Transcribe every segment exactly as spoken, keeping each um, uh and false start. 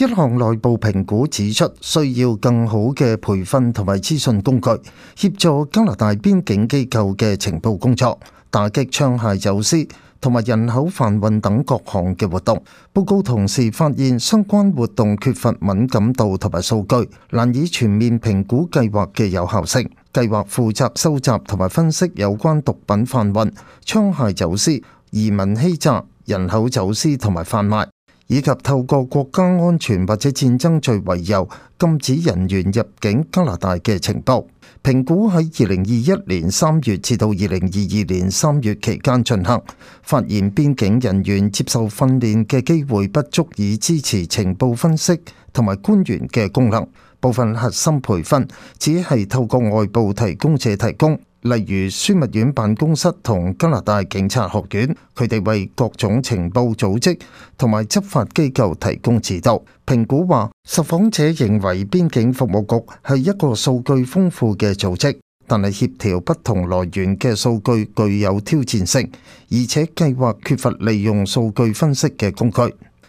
一項內部評估指出，需要更好嘅培訓同埋資訊工具，協助加拿大邊境機構嘅情報工作，打擊槍械走私同埋人口販運等各項嘅活動。報告同時發現，相關活動缺乏敏感度同埋數據，難以全面評估計劃嘅有效性。計劃負責收集同埋分析有關毒品販運、槍械走私、移民欺詐、人口走私同埋販賣，以及透過國家安全或者戰爭罪為由禁止人員入境加拿大嘅情報。評估喺二零二一年三月至到二零二二年三月期間進行，發現邊境人員接受訓練嘅機會不足以支持情報分析同埋官員嘅功能。部分核心培訓只係透過外部提供者提供，例如樞密院辦公室同加拿大警察學院，佢哋為各種情報組織同埋執法機構提供指導。評估話，受訪者認為邊境服務局係一個數據豐富嘅組織，但係協調不同來源嘅數據具有挑戰性，而且計劃缺乏利用數據分析嘅工具。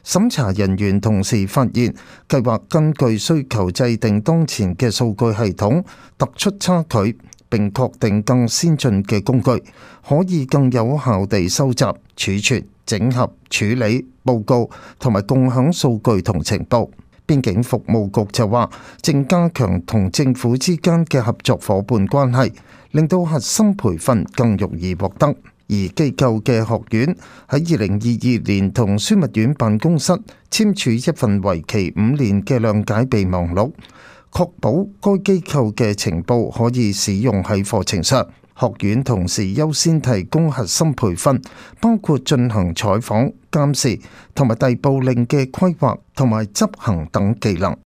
審查人員同時發現，計劃根據需求制定當前嘅數據系統，突出差距，並確定更先進嘅工具，可以更有效地收集、儲存、整合、處理、報告同埋共享數據同情報。邊境服務局就話，正加強同政府之間嘅合作夥伴關係，令到核心培訓更容易獲得。而機構嘅學院喺二零二二年同樞密院辦公室簽署一份為期五年嘅諒解備忘錄，確保該機構嘅情報可以使用喺課程上。學院同時優先提供核心培訓，包括進行採訪、監視同埋逮捕令嘅規劃同埋執行等技能。